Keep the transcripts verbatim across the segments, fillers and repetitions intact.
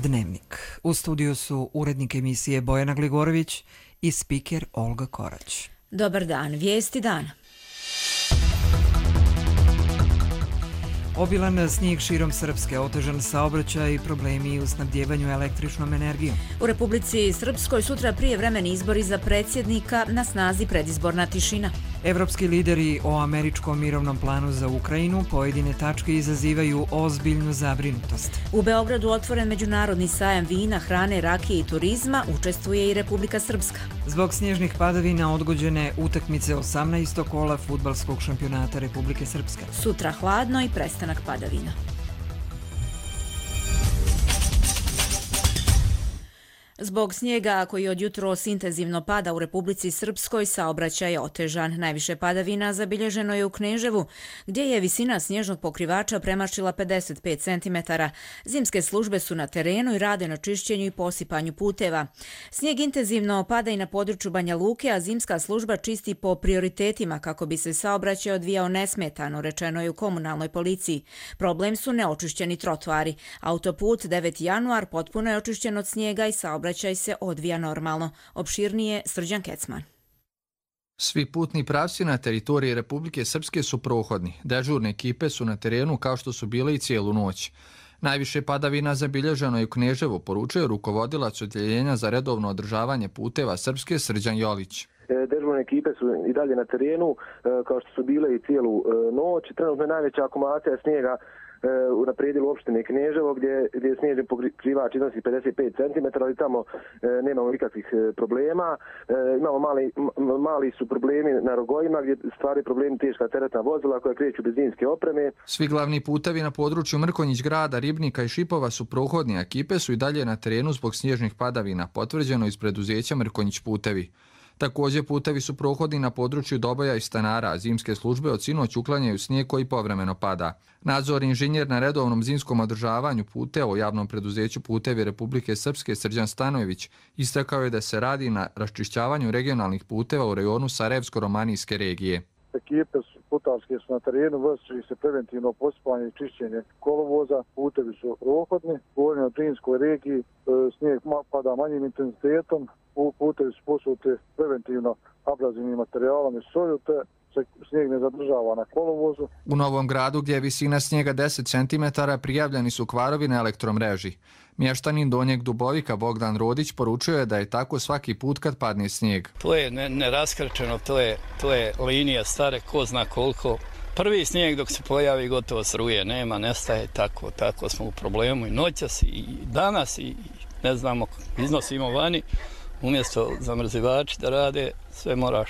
Dnevnik. U studiju su urednik emisije Bojana Gligorović i spiker Olga Korać. Dobar dan, vijesti dana. Obilan snijeg širom Srpske, otežan saobraćaj i problemi u snabdjevanju električnom energijom. U Republici Srpskoj sutra prijevremeni izbori za predsjednika, na snazi predizborna tišina. Evropski lideri o američkom mirovnom planu za Ukrajinu pojedine tačke izazivaju ozbiljnu zabrinutost. U Beogradu otvoren međunarodni sajam vina, hrane, rakije i turizma, učestvuje i Republika Srpska. Zbog snježnih padavina odgođene utakmice osamnaestog kola fudbalskog šampionata Republike Srpske. Sutra hladno i prestanak padavina. Zbog snijega koji od jutros intenzivno pada u Republici Srpskoj, saobraćaj je otežan. Najviše padavina zabilježeno je u Kneževu, gdje je visina snježnog pokrivača premašila pedeset pet centimetara. Zimske službe su na terenu i rade na čišćenju i posipanju puteva. Snijeg intenzivno pada i na području Banja Luke, a zimska služba čisti po prioritetima kako bi se saobraćaj odvijao nesmetano, rečeno je u komunalnoj policiji. Problem su neočišćeni trotoari. Autoput deveti januar potpuno je očišćen od snijega i saobraćaj Saobraćaj se odvija normalno. Opširnije Srđan Kecman. Svi putni pravci na teritoriji Republike Srpske su prohodni. Dežurne ekipe su na terenu kao što su bile i cijelu noć. Najviše padavina zabilježeno je u Kneževu, poručuje rukovodilac odjeljenja za redovno održavanje puteva Srpske Srđan Jolić. Dežurne ekipe su i dalje na terenu kao što su bile i cijelu noć. Trenutno je najveća akumulacija snijega na predjelu opštine Kneževo, gdje, gdje snježni pokrivač iznosi pedeset pet centimetara, ali tamo e, nemamo nikakvih problema. E, imamo mali, mali su problemi na rogojima, gdje stvari problemi teška teretna vozila koja kreću bez zimske opreme. Svi glavni putevi na području Mrkonjić grada, Ribnika i Šipova su prohodni, a ekipe su i dalje na terenu zbog snježnih padavina, potvrđeno iz preduzeća Mrkonjić putevi. Također putevi su prohodni na području Doboja i Stanara, a zimske službe od sinoć uklanjaju snijeg koji povremeno pada. Nadzorni inženjer na redovnom zimskom održavanju puteva u javnom preduzeću Putevi Republike Srpske Srđan Stanojević istakao je da se radi na raščišćavanju regionalnih puteva u rejonu Sarajevsko-Romanijske regije. Ekipe putarske su na terenu, vrši se preventivno posipanje i čišćenje kolovoza, putevi su prohodni. Govorim o Drinskoj regiji, snijeg pada manjim intenzitetom, putevi su posuti preventivno abrazivnim materijalom i soju, te se snijeg ne zadržava na kolovozu. U Novom Gradu, gdje je visina snijega deset centimetara, prijavljeni su kvarovi na elektromreži. Mještanin Donjeg Dubovika Bogdan Rodić poručuje da je tako svaki put kad padne snijeg. To je neraskrčeno, to je, to je linija stare, ko zna koliko. Prvi snijeg dok se pojavi gotovo sruje, nema, nestaje, tako, tako smo u problemu i noćas i danas i ne znamo, iznosimo vani. Umjesto zamrzivači da rade, sve moraš.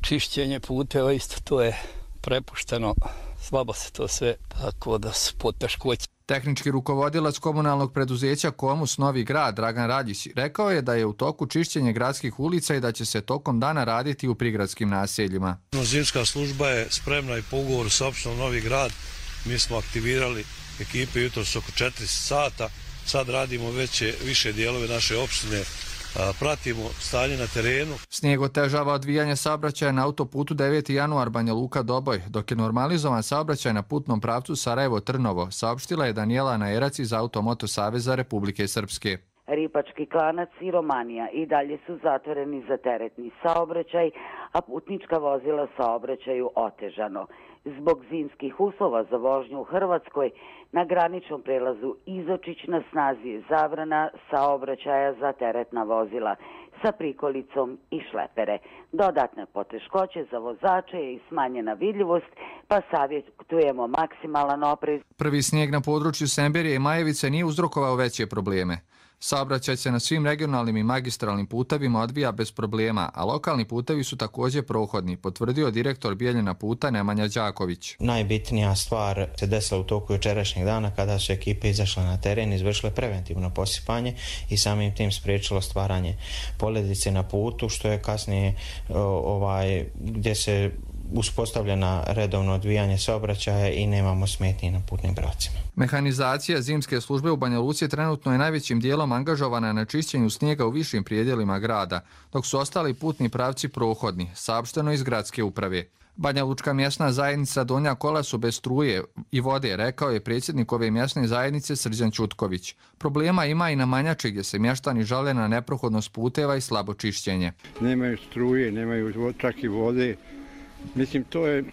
Čišćenje puteva isto, to je prepušteno, slabo se to sve, tako da su poteškoće. Tehnički rukovodilac komunalnog preduzeća Komus Novi Grad Dragan Radjić rekao je da je u toku čišćenje gradskih ulica i da će se tokom dana raditi u prigradskim naseljima. Zimska služba je spremna i po ugovoru sa opštinom Novi Grad. Mi smo aktivirali ekipe jutros oko četiri sata. Sad radimo veće, više dijelove naše opštine. Pratimo stanje na terenu. Snijeg otežava odvijanje saobraćaja na autoputu deveti januar Banja Luka Doboj, dok je normalizovan saobraćaj na putnom pravcu Sarajevo-Trnovo, saopštila je Danijela Najerac iz Automoto Saveza Republike Srpske. Ripački klanac i Romanija i dalje su zatvoreni za teretni saobraćaj, a putnička vozila saobraćaju otežano. Zbog zimskih uslova za vožnju u Hrvatskoj, na graničnom prelazu Izočić na snazi je zabrana saobraćaja za teretna vozila sa prikolicom i šlepere. Dodatne poteškoće za vozače je i smanjena vidljivost, pa savjetujemo maksimalan oprez. Prvi snijeg na području Semberije i Majevice nije uzrokovao veće probleme. Saobraćaj se na svim regionalnim i magistralnim putevima odvija bez problema, a lokalni putevi su također prohodni, potvrdio direktor Bijeljina puta Nemanja Đaković. Najbitnija stvar se desila u toku jučerašnjeg dana kada su ekipe izašle na teren, izvršile preventivno posipanje i samim tim spriječilo stvaranje poledice na putu, što je kasnije ovaj, gdje se uspostavljena redovno odvijanje saobraćaja i nemamo smetnji na putnim pravcima. Mehanizacija zimske službe u Banja Luci trenutno je najvećim dijelom angažovana na čišćenju snijega u višim prijedjelima grada, dok su ostali putni pravci prohodni, saopšteno iz gradske uprave. Banja Lučka mjesna zajednica Donja Kola su bez struje i vode, rekao je predsjednik ove mjesne zajednice Srđan Ćutković. Problema ima i na Manjači gdje se mještani žale na neprohodnost puteva i slabo čišćenje. Nemaju struje, nemaju čak i vode. Mislim, to je,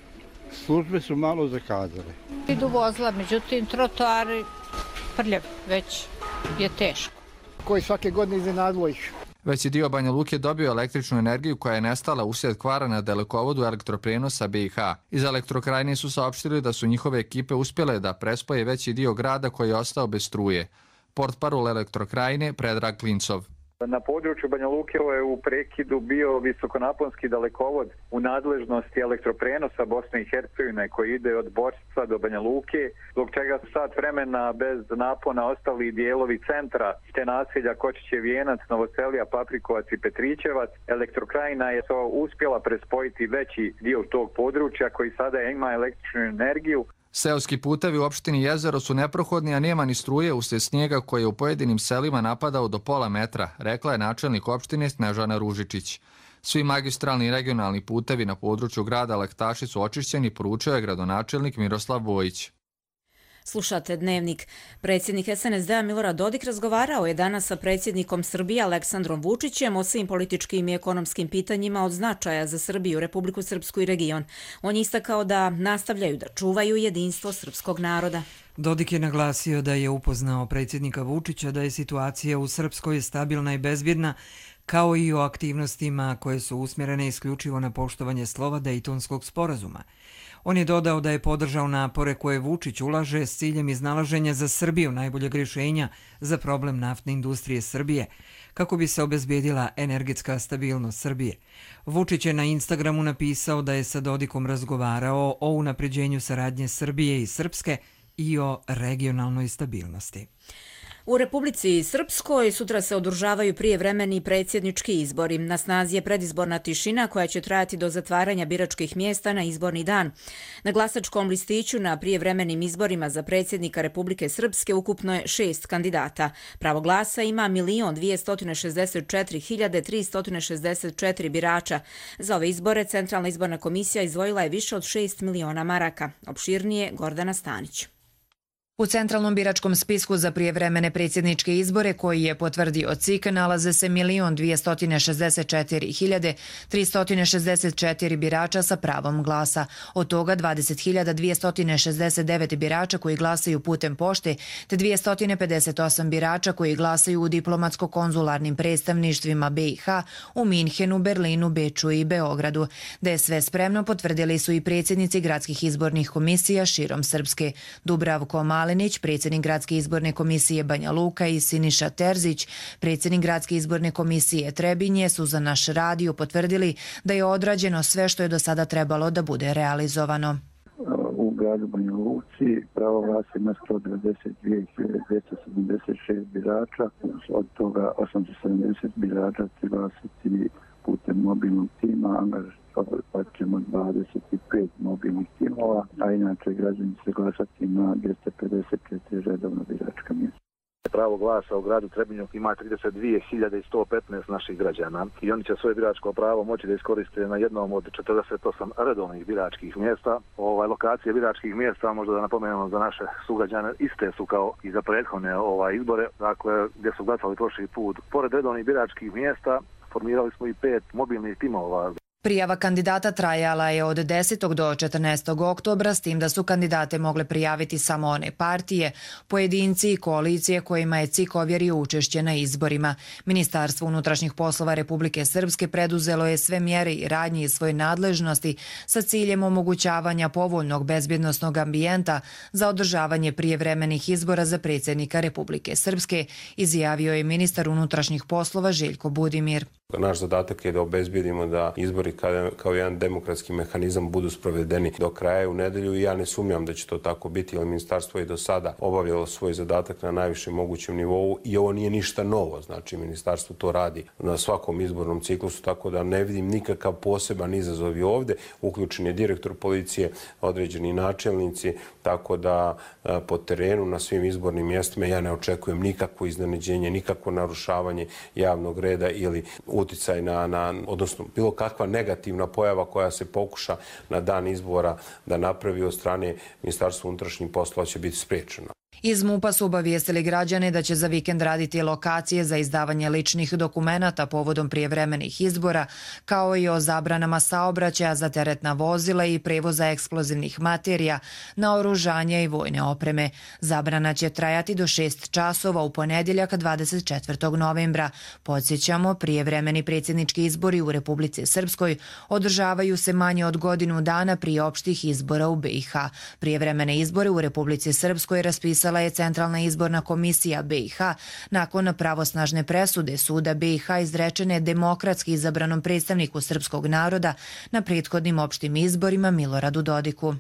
službe su malo zakazale. Idu vozila, međutim, trotoari prljav, već je teško. Koji svake godine iznenadilo ih. Veći dio Banja Luke dobio električnu energiju koja je nestala uslijed kvara na dalekovodu elektroprenosa B i H. Iz Elektrokrajine su saopštili da su njihove ekipe uspjele da prespoje veći dio grada koji je ostao bez struje. Portparol Elektrokrajine Predrag Klincov. Na području Banja Luke je u prekidu bio visokonaponski dalekovod u nadležnosti elektroprenosa Bosne i Hercegovine koji ide od Borca do Banja Luke, zbog čega su sat vremena bez napona ostali dijelovi centra te naselja Kočićev Vijenac, Novoselija, Paprikovac i Petrićevac. Elektrokrajina je uspjela prespojiti veći dio tog područja koji sada ima električnu energiju. Seoski putevi u opštini Jezero su neprohodni, a nema ni struje uslijed snijega koji je u pojedinim selima napadao do pola metra, rekla je načelnik opštine Snežana Ružičić. Svi magistralni i regionalni putevi na području grada Lektaši su očišćeni, poručio je gradonačelnik Miroslav Vojić. Slušate Dnevnik. Predsjednik S N S D-a Milorad Dodik razgovarao je danas sa predsjednikom Srbije Aleksandrom Vučićem o svim političkim i ekonomskim pitanjima od značaja za Srbiju, Republiku Srpsku i region. On je istakao da nastavljaju da čuvaju jedinstvo srpskog naroda. Dodik je naglasio da je upoznao predsjednika Vučića da je situacija u Srpskoj stabilna i bezbjedna, kao i o aktivnostima koje su usmjerene isključivo na poštovanje slova Dejtonskog sporazuma. On je dodao da je podržao napore koje Vučić ulaže s ciljem iznalaženja za Srbiju najboljeg rješenja za problem naftne industrije Srbije, kako bi se obezbijedila energetska stabilnost Srbije. Vučić je na Instagramu napisao da je sa Dodikom razgovarao o unapređenju saradnje Srbije i Srpske i o regionalnoj stabilnosti. U Republici Srpskoj sutra se održavaju prijevremeni predsjednički izbori. Na snazi je predizborna tišina koja će trajati do zatvaranja biračkih mjesta na izborni dan. Na glasačkom listiću na prijevremenim izborima za predsjednika Republike Srpske ukupno je šest kandidata. Pravo glasa ima milion dvjesto šezdeset četiri hiljade tristo šezdeset četiri birača. Za ove izbore Centralna izborna komisija izdvojila je više od šest miliona maraka. Opširnije Gordana Stanić. U centralnom biračkom spisku za prijevremene predsjedničke izbore koji je potvrdio C I K nalaze se milion dvjesto šezdeset četiri hiljade tristo šezdeset četiri birača sa pravom glasa. Od toga dvadeset hiljada dvjesto šezdeset devet birača koji glasaju putem pošte te dvjesto pedeset osam birača koji glasaju u diplomatsko-konzularnim predstavništvima B i H u Minhenu, Berlinu, Beču i Beogradu. Da je sve spremno potvrdili su i predsjednici gradskih izbornih komisija širom Srpske. Dubravko Malenić, predsjednik Gradske izborne komisije Banja Luka i Siniša Terzić, predsjednik Gradske izborne komisije Trebinje su za naš radio potvrdili da je odrađeno sve što je do sada trebalo da bude realizovano. U gradu Banja Luci pravo glasa ima sto devedeset dvije hiljade dvjesto sedamdeset šest birača, od toga osamsto sedamdeset birača će glasati putem mobilnog tima, pa ćemo dvadeset pet mobilnih timova, a inače građani će glasati na dvjesto pedeset četiri redovna biračka mjesta. Pravo glasa u gradu Trebinju ima trideset dvije hiljade sto petnaest naših građana i oni će svoje biračko pravo moći da iskoriste na jednom od četrdeset osam redovnih biračkih mjesta. Ovaj, lokacije biračkih mjesta, možda da napomenemo za naše sugrađane, iste su kao i za prethodne ovaj, izbore, dakle gdje su glasali prošli put. Pored redovnih biračkih mjesta formirali smo i pet mobilnih timova. Prijava kandidata trajala je od desetog do četrnaestog oktobra, s tim da su kandidate mogle prijaviti samo one partije, pojedinci i koalicije kojima je C I K ovjerio učešće na izborima. Ministarstvo unutrašnjih poslova Republike Srpske preduzelo je sve mjere i radnje iz svoje nadležnosti sa ciljem omogućavanja povoljnog bezbjednosnog ambijenta za održavanje prijevremenih izbora za predsjednika Republike Srpske, izjavio je ministar unutrašnjih poslova Željko Budimir. Naš zadatak je da obezbijedimo da izbori kao jedan demokratski mehanizam budu sprovedeni do kraja u nedelju i ja ne sumnjam da će to tako biti, jer ministarstvo je do sada obavljalo svoj zadatak na najvišem mogućem nivou i ovo nije ništa novo, znači ministarstvo to radi na svakom izbornom ciklusu, tako da ne vidim nikakav poseban izazov i ovdje. Uključen je direktor policije, određeni načelnici, tako da po terenu na svim izbornim mjestima ja ne očekujem nikakvo iznenađenje, nikakvo narušavanje javnog reda ili uticaj na, na, odnosno bilo kakva negativna pojava koja se pokuša na dan izbora da napravi od strane Ministarstva unutrašnjih poslova će biti spriječena. Iz MUP-a su obavijestili građane da će za vikend raditi lokacije za izdavanje ličnih dokumenata povodom prijevremenih izbora, kao i o zabranama saobraćaja za teretna vozila i prevoza eksplozivnih materija, naoružanja i vojne opreme. Zabrana će trajati do šest časova u ponedjeljak dvadeset četvrtog novembra. Podsjećamo, prijevremeni predsjednički izbori u Republici Srpskoj održavaju se manje od godinu dana prije opštih izbora u B i H. Prijevremene izbore u Republici Srpskoj raspisala je Centralna izborna komisija B i H nakon pravosnažne presude suda B i H izrečene demokratski izabranom predstavniku srpskog naroda na prethodnim opštim izborima Miloradu Dodiku.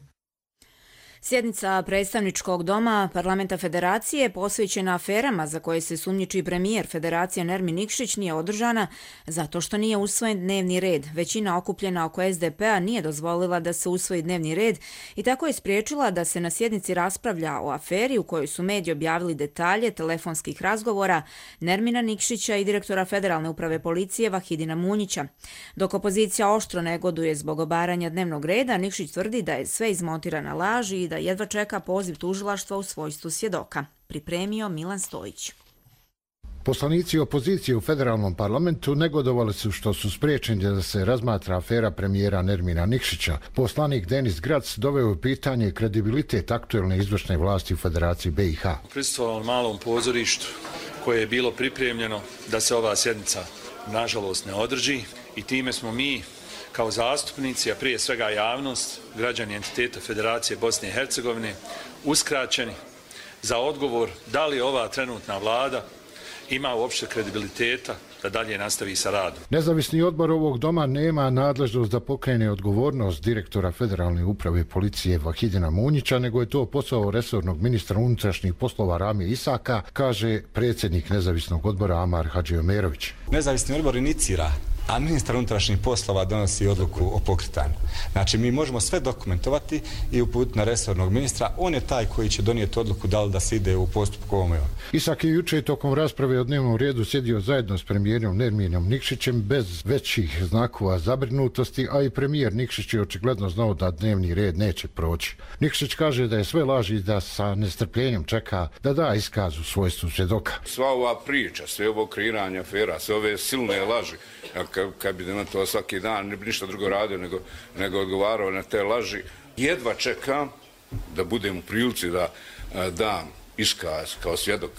Sjednica predstavničkog doma Parlamenta Federacije posvećena aferama za koje se sumnjiči premijer Federacije Nermin Nikšić nije održana zato što nije usvojen dnevni red. Većina okupljena oko S D P-a nije dozvolila da se usvoji dnevni red i tako je spriječila da se na sjednici raspravlja o aferi u kojoj su mediji objavili detalje telefonskih razgovora Nermina Nikšića i direktora Federalne uprave policije Vahidina Munjića. Dok opozicija oštro negoduje zbog obaranja dnevnog reda, Nikšić tvrdi da je sve izmontirana laž i da jedva čeka poziv tužilaštva u svojstvu svjedoka. Pripremio Milan Stojić. Poslanici opozicije u federalnom parlamentu negodovali su što su spriječeni da se razmatra afera premijera Nermina Nikšića. Poslanik Denis Grac doveo u pitanje kredibilitet aktuelne izvršne vlasti u Federaciji B i H. Prisustvovao malom pozorištu koje je bilo pripremljeno da se ova sjednica nažalost ne održi i time smo mi kao zastupnici, a prije svega javnost, građani entiteta Federacije Bosne i Hercegovine, uskraćeni za odgovor da li ova trenutna vlada ima uopšte kredibiliteta da dalje nastavi sa radom. Nezavisni odbor ovog doma nema nadležnost da pokrene odgovornost direktora Federalne uprave policije Vahidina Munjića, nego je to posao resornog ministra unutrašnjih poslova Ramije Isaka, kaže predsjednik nezavisnog odbora Amar Hadžiomerović. Nezavisni odbor inicira, a ministar unutrašnjih poslova donosi odluku o pokretanju. Znači, mi možemo sve dokumentovati i uputiti na resornog ministra. On je taj koji će donijeti odluku da li da se ide u postupku ovome. Isak je juče tokom rasprave o dnevnom redu sjedio zajedno s premijerom Nerminom Nikšićem bez većih znakova zabrinutosti, a i premijer Nikšić je očigledno znao da dnevni red neće proći. Nikšić kaže da je sve laži i da sa nestrpljenjem čeka da da iskaz u svojstvu svjedoka. Sva ova priča, sve ovo kreiranje afera, sve ove silne laži, kad bi na to svaki dan, ne bi ništa drugo radio nego, nego odgovarao na te laži. Jedva čekam da budem u prilici da dam iskaz kao svjedok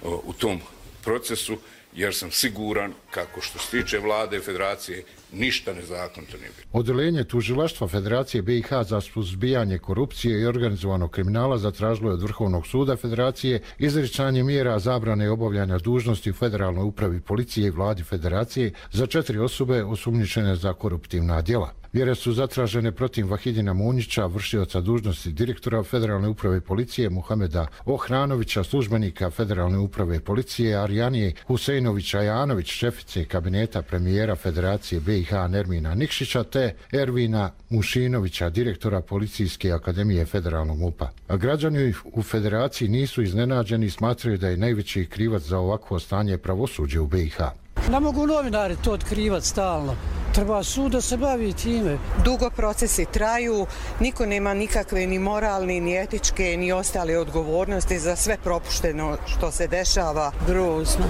u tom procesu, jer sam siguran kako što se tiče vlade i federacije ništa nezakonito nije bilo. Odeljenje tužilaštva Federacije B i H za suzbijanje korupcije i organizovanog kriminala zatražilo je od Vrhovnog suda Federacije izricanje mjera zabrane obavljanja dužnosti u Federalnoj upravi policije i vladi Federacije za četiri osobe osumnjičene za koruptivna djela. Mjere su zatražene protiv Vahidina Munjića, vršioca dužnosti direktora Federalne uprave policije Muhameda Ohranovića, službenika Federalne uprave policije Arijanije Huseinovića Janović, šefice kabineta premijera Federacije B i H Nermina Nikšića, te Ervina Mušinovića, direktora Policijske akademije Federalnog MUP-a. A građani u Federaciji nisu iznenađeni i smatraju da je najveći krivac za ovakvo stanje pravosuđe u B i H. Ne mogu novinari to otkrivati stalno. Treba sud da se bavi time. Dugo procesi traju, niko nema nikakve ni moralne, ni etičke, ni ostale odgovornosti za sve propušteno što se dešava. Grozno.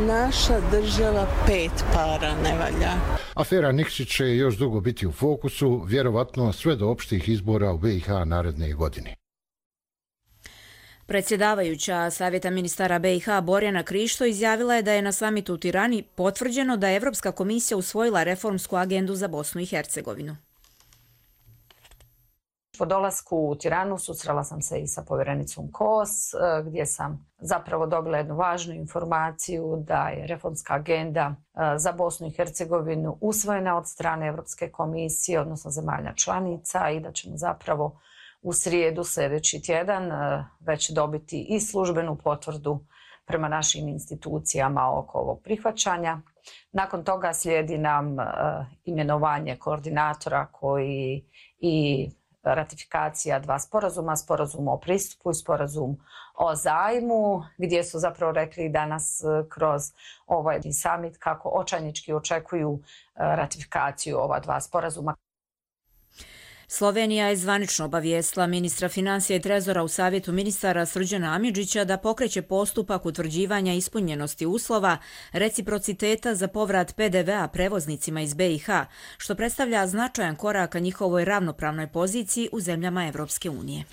Naša država pet para ne valja. Afera Nikšić će još dugo biti u fokusu, vjerovatno sve do opštih izbora u B i H naredne godine. Predsjedavajuća Savjeta ministara B i H Borjana Krišto izjavila je da je na samitu u Tirani potvrđeno da je Evropska komisija usvojila reformsku agendu za Bosnu i Hercegovinu. Po dolasku u Tiranu susrela sam se i sa povjerenicom Kos, gdje sam zapravo dobila jednu važnu informaciju da je reformska agenda za Bosnu i Hercegovinu usvojena od strane Evropske komisije, odnosno zemalja članica, i da ćemo zapravo u srijedu sljedeći tjedan već dobiti i službenu potvrdu prema našim institucijama oko ovog prihvaćanja. Nakon toga slijedi nam imenovanje koordinatora koji i ratifikacija dva sporazuma, sporazum o pristupu i sporazum o zajmu, gdje su zapravo rekli danas kroz ovaj summit kako očajnički očekuju ratifikaciju ova dva sporazuma. Slovenija je zvanično obavijestila ministra financija i trezora u savjetu ministara Srđana Amidžića da pokreće postupak utvrđivanja ispunjenosti uslova reciprociteta za povrat P D V-a prevoznicima iz B i H, što predstavlja značajan korak ka njihovoj ravnopravnoj poziciji u zemljama Evropske unije.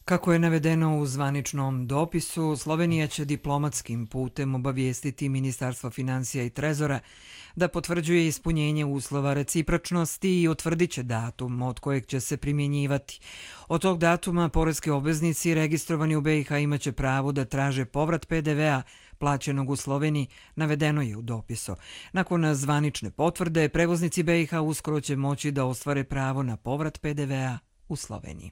Kako je navedeno u zvaničnom dopisu, Slovenija će diplomatskim putem obavijestiti Ministarstvo financija i trezora da potvrđuje ispunjenje uslova recipročnosti i utvrdit će datum od kojeg će se primjenjivati. Od tog datuma poreski obveznici registrovani u B i H imaće pravo da traže povrat P D V-a plaćenog u Sloveniji, navedeno je u dopisu. Nakon zvanične potvrde, prevoznici B i H uskoro će moći da ostvare pravo na povrat P D V-a u Sloveniji.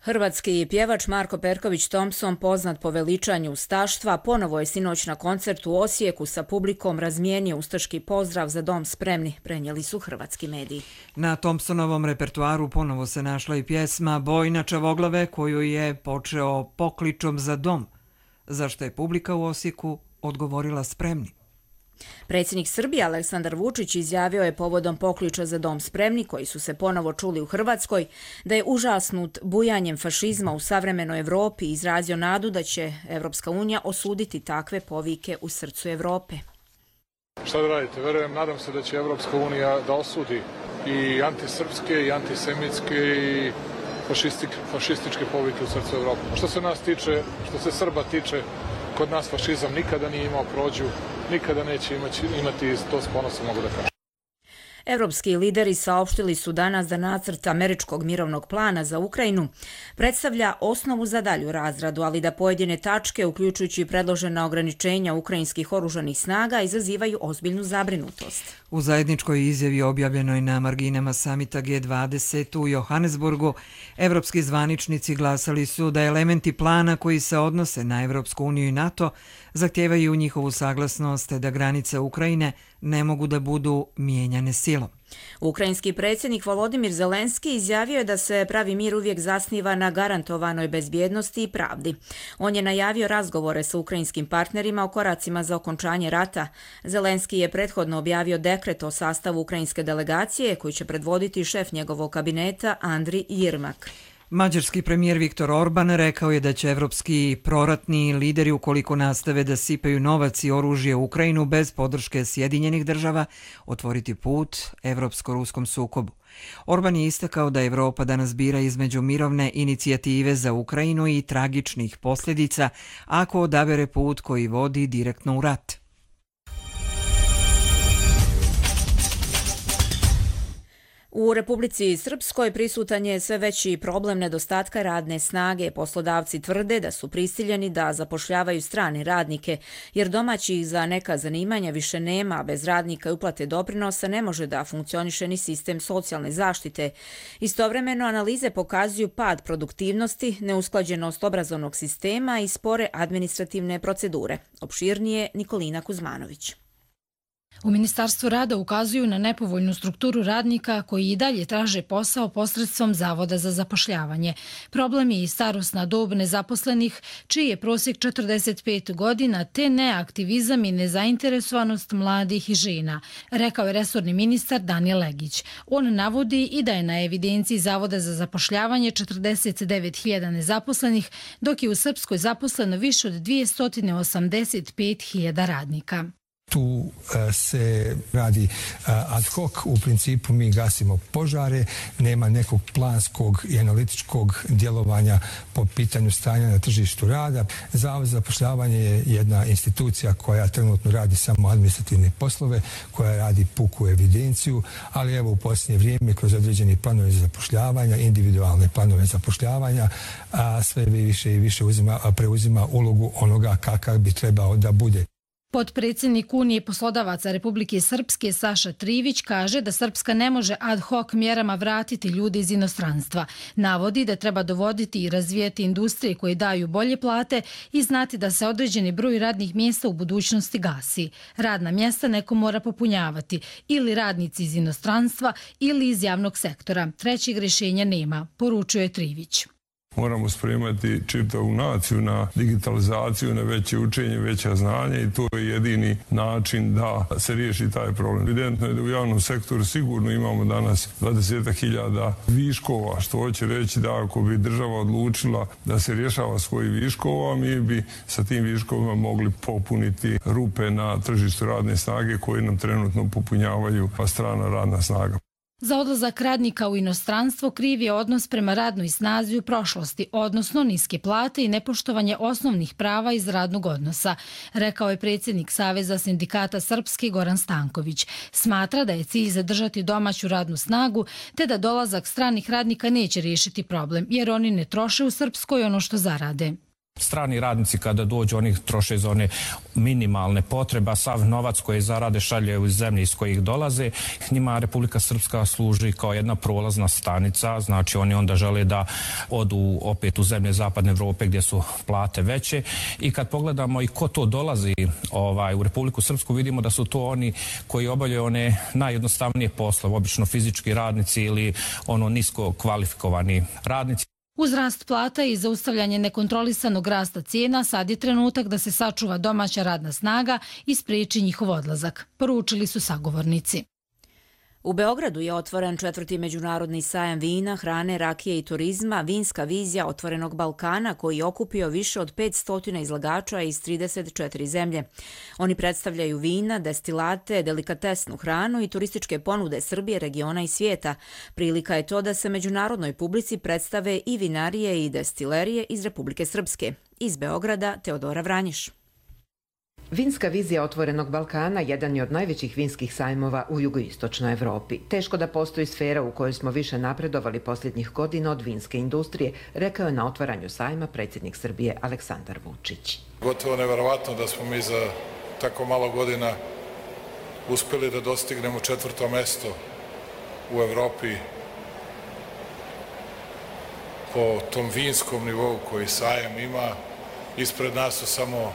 Hrvatski pjevač Marko Perković Thompson, poznat po veličanju ustaštva, ponovo je sinoć na koncertu u Osijeku sa publikom razmijenio ustaški pozdrav za dom spremni, prenijeli su hrvatski mediji. Na Thompsonovom repertuaru ponovo se našla i pjesma Bojna Čavoglave, koju je počeo pokličom za dom, za što je publika u Osijeku odgovorila spremni. Predsjednik Srbije Aleksandar Vučić izjavio je povodom pokliča za dom spremni, koji su se ponovo čuli u Hrvatskoj, da je užasnut bujanjem fašizma u savremenoj Evropi i izrazio nadu da će Evropska unija osuditi takve povike u srcu Evrope. Šta da radite? Verujem, nadam se da će Evropska unija da osudi i antisrpske i antisemitske i fašističke povike u srcu Evrope. Što se nas tiče, što se Srba tiče, kod nas fašizam nikada nije imao prođu, nikada neće imati, imati to s ponosom, mogu da kažem. Evropski lideri saopštili su danas da nacrt američkog mirovnog plana za Ukrajinu predstavlja osnovu za dalju razradu, ali da pojedine tačke, uključujući predložena ograničenja ukrajinskih oružanih snaga, izazivaju ozbiljnu zabrinutost. U zajedničkoj izjavi objavljenoj na marginama samita G dvadeset u Johannesburgu, evropski zvaničnici glasali su da elementi plana koji se odnose na Evropsku uniju i NATO zahtijevaju njihovu saglasnost da granice Ukrajine ne mogu da budu mijenjane silom. Ukrajinski predsjednik Volodimir Zelenski izjavio je da se pravi mir uvijek zasniva na garantovanoj bezbjednosti i pravdi. On je najavio razgovore sa ukrajinskim partnerima o koracima za okončanje rata. Zelenski je prethodno objavio dekret o sastavu ukrajinske delegacije koji će predvoditi šef njegovog kabineta Andri Jermak. Mađarski premijer Viktor Orban rekao je da će evropski proratni lideri, ukoliko nastave da sipaju novac i oružje u Ukrajinu bez podrške Sjedinjenih država, otvoriti put evropsko-ruskom sukobu. Orban je istakao da Evropa danas bira između mirovne inicijative za Ukrajinu i tragičnih posljedica ako odabere put koji vodi direktno u rat. U Republici Srpskoj prisutan je sve veći problem nedostatka radne snage. Poslodavci tvrde da su prisiljeni da zapošljavaju strane radnike, jer domaćih za neka zanimanja više nema, a bez radnika i uplate doprinosa ne može da funkcioniše ni sistem socijalne zaštite. Istovremeno analize pokazuju pad produktivnosti, neusklađenost obrazovnog sistema i spore administrativne procedure. Opširnije Nikolina Kuzmanović. U Ministarstvu rada ukazuju na nepovoljnu strukturu radnika koji i dalje traže posao posredstvom Zavoda za zapošljavanje. Problem je i starosna dob nezaposlenih, čiji je prosjek četrdeset pet godina, te neaktivizam i nezainteresovanost mladih i žena, rekao je resorni ministar Danijel Legić. On navodi i da je na evidenciji Zavoda za zapošljavanje četrdeset devet hiljada nezaposlenih, dok je u Srpskoj zaposleno više od dvjesto osamdeset pet hiljada radnika. Tu se radi ad hoc, u principu mi gasimo požare, nema nekog planskog i analitičkog djelovanja po pitanju stanja na tržištu rada. Zavod za zapošljavanje je jedna institucija koja trenutno radi samo administrativne poslove, koja radi puku evidenciju, ali evo u posljednje vrijeme kroz određeni planove za zapošljavanja, individualne planove zapošljavanja, a sve više i više uzima, preuzima ulogu onoga kakav bi trebao da bude. Potpredsjednik Unije poslodavaca Republike Srpske Saša Trivić kaže da Srpska ne može ad hoc mjerama vratiti ljude iz inostranstva. Navodi da treba dovoditi i razvijeti industrije koje daju bolje plate i znati da se određeni broj radnih mjesta u budućnosti gasi. Radna mjesta neko mora popunjavati, ili radnici iz inostranstva ili iz javnog sektora. Trećeg rješenja nema, poručuje Trivić. Moramo spremati čitavu naciju na digitalizaciju, na veće učenje, veća znanja i to je jedini način da se riješi taj problem. Evidentno je da u javnom sektoru sigurno imamo danas dvadeset hiljada viškova, što hoće reći da ako bi država odlučila da se rješava svojih viškova, mi bi sa tim viškovima mogli popuniti rupe na tržištu radne snage koje nam trenutno popunjavaju strana radna snaga. Za odlazak radnika u inostranstvo kriv je odnos prema radnoj snazi u prošlosti, odnosno niske plate i nepoštovanje osnovnih prava iz radnog odnosa, rekao je predsjednik Saveza sindikata Srpske Goran Stanković. Smatra da je cilj zadržati domaću radnu snagu, te da dolazak stranih radnika neće riješiti problem, jer oni ne troše u Srpskoj ono što zarade. Strani radnici kada dođu, oni troše za one minimalne potrebe, a sav novac koji zarade šalje u zemlje iz kojih dolaze. Njima Republika Srpska služi kao jedna prolazna stanica, znači oni onda žele da odu opet u zemlje Zapadne Evrope gdje su plate veće. I kad pogledamo i ko to dolazi ovaj, u Republiku Srpsku, vidimo da su to oni koji obavljaju one najjednostavnije poslove, obično fizički radnici ili ono nisko kvalifikovani radnici. Uz rast plata i zaustavljanje nekontrolisanog rasta cijena, sad je trenutak da se sačuva domaća radna snaga i spriječi njihov odlazak, poručili su sagovornici. U Beogradu je otvoren četvrti međunarodni sajam vina, hrane, rakije i turizma, vinska vizija otvorenog Balkana, koji je okupio više od petsto izlagača iz trideset četiri zemlje. Oni predstavljaju vina, destilate, delikatesnu hranu i turističke ponude Srbije, regiona i svijeta. Prilika je to da se međunarodnoj publici predstave i vinarije i destilerije iz Republike Srpske. Iz Beograda, Teodora Vranjiš. Vinska vizija otvorenog Balkana jedan je od najvećih vinskih sajmova u jugoistočnoj Evropi. Teško da postoji sfera u kojoj smo više napredovali posljednjih godina od vinske industrije, rekao je na otvaranju sajma predsjednik Srbije Aleksandar Vučić. Gotovo neverovatno da smo mi za tako malo godina uspjeli da dostignemo četvrto mesto u Evropi po tom vinskom nivou koji sajam ima. Ispred nas su samo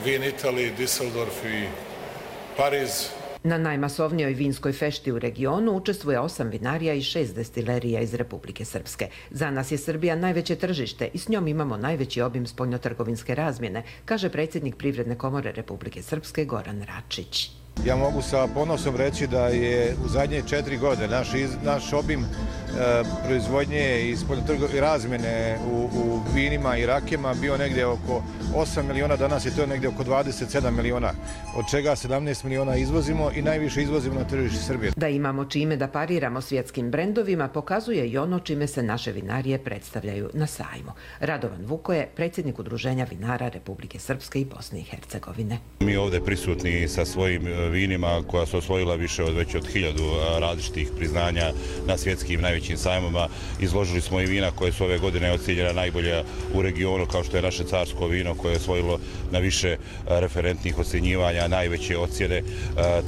Vin Italiji, Düsseldorf i Pariz. Na najmasovnijoj vinskoj fešti u regionu učestvuje osam vinarija i šest destilerija iz Republike Srpske. Za nas je Srbija najveće tržište i s njom imamo najveći obim spoljnotrgovinske razmjene, kaže predsjednik Privredne komore Republike Srpske Goran Račić. Ja mogu sa ponosom reći da je u zadnje četiri godine naš, naš obim e, proizvodnje i spoljnotrgovinske razmjene u, u vinima i rakijama bio negdje oko osam miliona, danas je to negdje oko dvadeset sedam miliona, od čega sedamnaest miliona izvozimo i najviše izvozimo na tržište Srbije. Da imamo čime da pariramo svjetskim brendovima pokazuje i ono čime se naše vinarije predstavljaju na sajmu. Radovan Vukoje, predsjednik Udruženja vinara Republike Srpske i Bosne i Hercegovine. Mi ovdje prisutni sa svojim vinima koja su osvojila više od već od hiljadu različitih priznanja na svjetskim najvećim sajmama. Izložili smo i vina koje su ove godine ocijenjena najbolja u regionu, kao što je naše carsko vino koje je osvojilo na više referentnih ocjenjivanja najveće ocjene.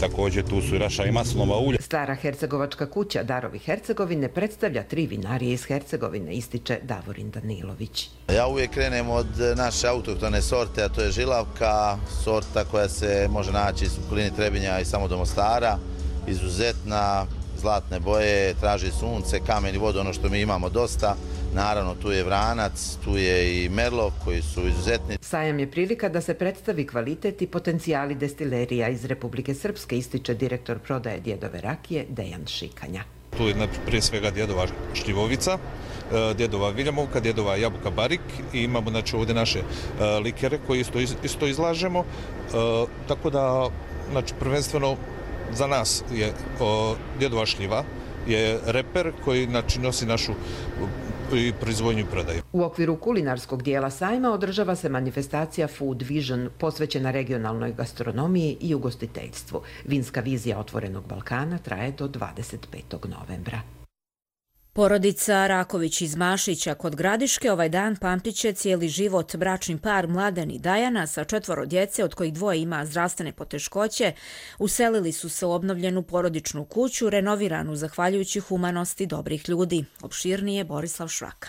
Također tu su i naša i maslinova ulja. Stara hercegovačka kuća Darovi Hercegovine predstavlja tri vinarije iz Hercegovine, ističe Davorin Danilović. Ja uvijek krenem od naše autohtone sorte, a to je žilavka, sorta koja se može naći iz okolini Trebinja i samo do Mostara, izuzetna, zlatne boje, traži sunce, kamen i vodu, ono što mi imamo dosta. Naravno, tu je vranac, tu je i merlov koji su izuzetni. Sajam je prilika da se predstavi kvalitet i potencijali destilerija iz Republike Srpske, ističe direktor prodaje Djedove rakije Dejan Šikanja. Tu je prije svega Djedova šljivovica, Djedova viljamovka, Djedova jabuka barik i imamo znači, ovdje naše likere koje isto, isto izlažemo. Tako da, znači, prvenstveno za nas je Djedova šljiva, je reper koji znači, nosi našu i proizvodnju i prodaju. U okviru kulinarskog dijela sajma održava se manifestacija Food Vision posvećena regionalnoj gastronomiji i ugostiteljstvu. Vinska vizija otvorenog Balkana traje do dvadeset petog novembra. Porodica Raković iz Mašića kod Gradiške ovaj dan pamtit će cijeli život. Bračni par Mladen i Dajana sa četvoro djece, od kojih dvoje ima zdravstvene poteškoće, uselili su se u obnovljenu porodičnu kuću, renoviranu zahvaljujući humanosti dobrih ljudi. Opširnije Borislav Švaka.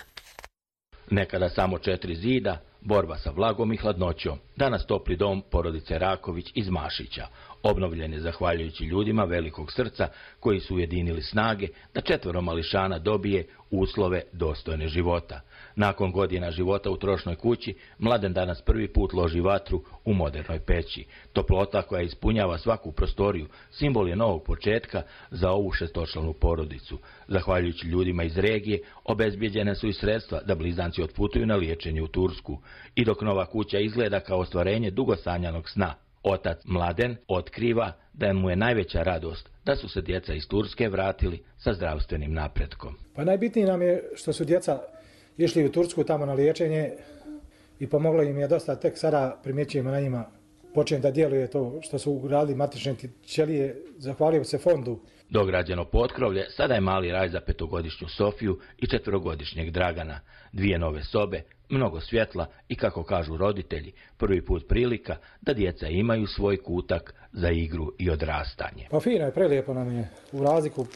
Nekada samo četiri zida, borba sa vlagom i hladnoćom. Danas topli dom porodice Raković iz Mašića. Obnovljen je zahvaljujući ljudima velikog srca koji su ujedinili snage da četvoro mališana dobije uslove dostojne života. Nakon godina života u trošnoj kući, Mladen danas prvi put loži vatru u modernoj peći. Toplota koja ispunjava svaku prostoriju simbol je novog početka za ovu šestočlanu porodicu. Zahvaljujući ljudima iz regije, obezbijeđene su i sredstva da blizanci otputuju na liječenje u Tursku. I dok nova kuća izgleda kao ostvarenje dugo sanjanog sna, otac Mladen otkriva da mu je najveća radost da su se djeca iz Turske vratili sa zdravstvenim napretkom. Pa najbitnije nam je što su djeca išli u Tursku tamo na liječenje i pomoglo im je dosta, tek sada primjećujemo na njima počinje da djeluje to što su ugradili matične ćelije, zahvalio se fondu. Dograđeno potkrovlje sada je mali raj za petogodišnju Sofiju i četverogodišnjeg Dragana. Dvije nove sobe, mnogo svjetla i, kako kažu roditelji, prvi put prilika da djeca imaju svoj kutak za igru i odrastanje. Pa fino je, prelijepo nam je, u razliku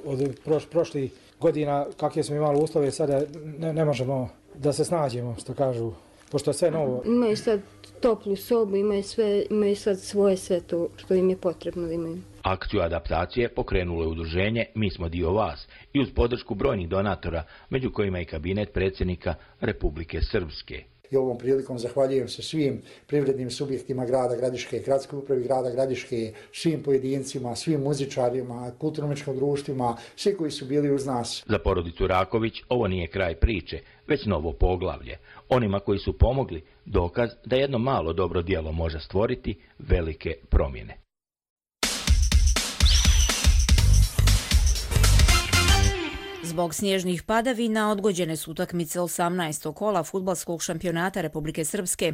od proš, prošlih godina kakve smo imali uslove, sada ne, ne možemo da se snađemo, što kažu, pošto je sve novo. Imaju sad toplu sobu, imaju, sve, imaju sad svoje sve to što im je potrebno da imaju. Akciju adaptacije pokrenulo je udruženje Mi smo dio vas i uz podršku brojnih donatora, među kojima i kabinet predsjednika Republike Srpske. I ovom prilikom zahvaljujem se svim privrednim subjektima grada Gradiške, gradskoj upravi grada Gradiške, svim pojedincima, svim muzičarima, kulturno-umjetničkim društvima, svi koji su bili uz nas. Za porodicu Raković ovo nije kraj priče, već novo poglavlje. Onima koji su pomogli, dokaz da jedno malo dobro djelo može stvoriti velike promjene. Zbog snježnih padavina odgođene su utakmice osamnaestog kola fudbalskog šampionata Republike Srpske.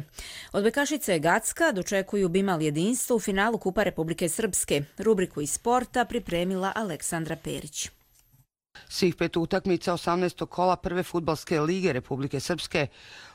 Odbojkašice Gacka dočekuju Bimal jedinstvo u finalu Kupa Republike Srpske. Rubriku iz sporta pripremila Aleksandra Perić. Svih pet utakmica osamnaestog kola prve fudbalske lige Republike Srpske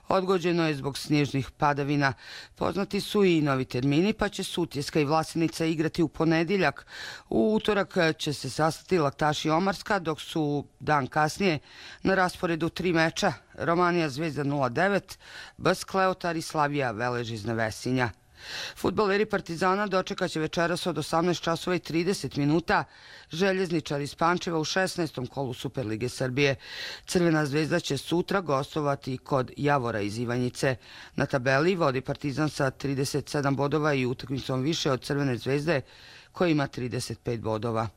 odgođeno je zbog snježnih padavina. Poznati su i novi termini, pa će Sutjeska i Vlasenica igrati u ponedjeljak. U utorak će se sastati Laktaši Omarska, dok su dan kasnije na rasporedu tri meča: Romanija Zvezda nula devet, B S Kleotar i Slavija Velež iz Nevesinja. Fudbaleri Partizana dočekaće večeras od osamnaest časova i trideset minuta Željezničar iz Pančeva u šesnaestom kolu Superlige Srbije. Crvena zvezda će sutra gostovati kod Javora iz Ivanjice. Na tabeli vodi Partizan sa trideset sedam bodova i utakmicom više od Crvene zvezde koja ima trideset pet bodova.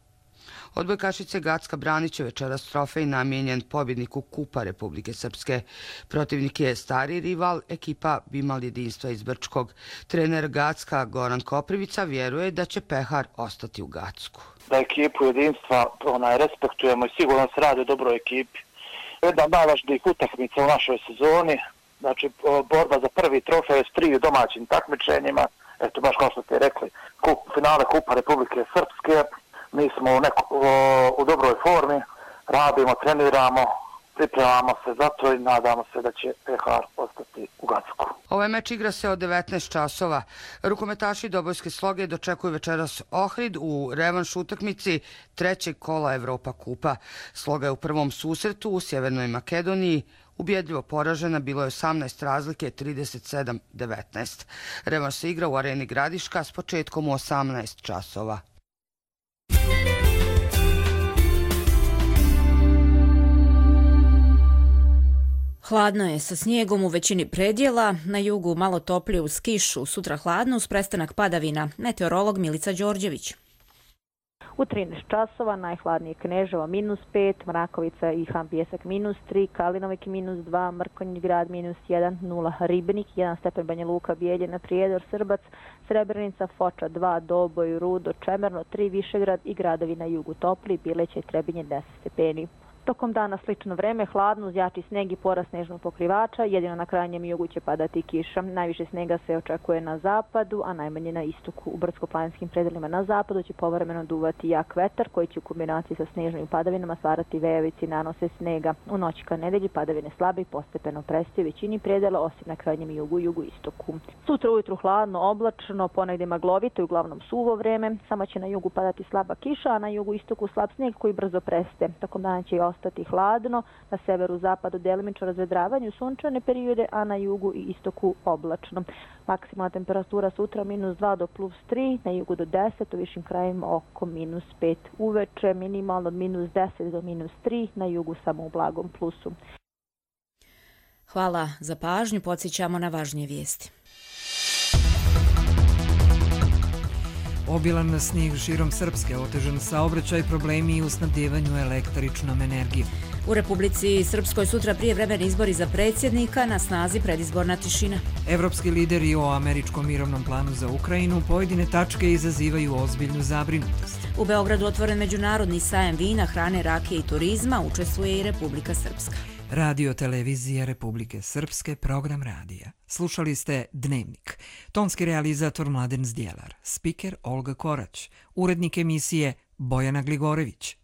Odbojkašice Gacka branit će večeras trofej namijenjen pobjedniku Kupa Republike Srpske. Protivnik je stari rival, ekipa Bimal jedinstva iz Brčkog. Trener Gacka Goran Koprivica vjeruje da će pehar ostati u Gacku. Da ekipu jedinstva onaj, respektujemo i sigurno se radi o dobroj ekipi. Jedna od najvažnijih utakmica u našoj sezoni, znači borba za prvi trofej s tri domaćim takmičenjima. Eto, baš kao što ste rekli, kup, finale Kupa Republike Srpske. Mi smo u, neko, u dobroj formi, radimo, treniramo, pripremamo se za to i nadamo se da će pehar ostati u Gacku. Ovaj meč igra se od devetnaest časova. Rukometaši Dobojske Sloge dočekuju večeras Ohrid u revanš utakmici trećeg kola Evropa Kupa. Sloga je u prvom susretu u Sjevernoj Makedoniji ubjedljivo poražena, bilo je osamnaest razlike, trideset sedam devetnaest. Revanš se igra u areni Gradiška s početkom u osamnaest časova. Hladno je sa snijegom u većini predjela, na jugu malo toplije uz kišu, sutra hladno uz prestanak padavina. Meteorolog Milica Đorđević. U trinaest časova najhladnije Kneževo minus pet, Mrakovica i Han Pijesak minus tri, Kalinovik minus dva, Mrkonjić grad minus jedan, nula Ribnik, jedan stepen Banja Luka, Bijeljina, Prijedor, Srbac, Srebrenica, Foča dva, Doboj, Rudo, Čemerno tri, Višegrad i gradovi na jugu topli, Bileća i Trebinje deset stepeni. Tokom dana slično vreme, hladno uz jači sneg i porast snežnog pokrivača, jedino na krajnjem jugu će padati kiša. Najviše snega se očekuje na zapadu, a najmanje na istoku. U brdsko-planinskim predelima na zapadu će povremeno duvati jak vetar koji će u kombinaciji sa snežnim padavinama stvarati vejavici i nanose snega. U noći ka nedelji padavine slabe i postepeno prestaju većini predela, osim na krajnjem jugu i jugu istoku. Sutra ujutru hladno, oblačno, ponegde maglovito i uglavnom suvo vreme. Samo će na jugu padati slaba kiša, a na jugu istoku slab sneg koji brzo prestaje. Tokom dana će i ostati hladno, na severu zapadu delimično razvedravanje u sunčane periode, a na jugu i istoku oblačno. Maksimalna temperatura sutra minus dva do plus tri, na jugu do deset, u višim krajima oko minus pet. Uveče minimalno od minus deset do minus tri, na jugu samo u blagom plusu. Hvala za pažnju, podsjećamo na važnije vijesti. Obilan snijeg širom Srpske, otežan saobraćaj, problemi u snabdjevanju električnom energijom. U Republici Srpskoj sutra prijevremeni izbori za predsjednika, na snazi predizborna tišina. Evropski lideri o američkom mirovnom planu za Ukrajinu pojedine tačke izazivaju ozbiljnu zabrinutost. U Beogradu otvoren međunarodni sajam vina, hrane, rakije i turizma, učestvuje i Republika Srpska. Radio televizija Republike Srpske, program radija. Slušali ste Dnevnik. Tonski realizator Mladen Zdjelar, spiker Olga Korać, urednik emisije Bojana Gligorević,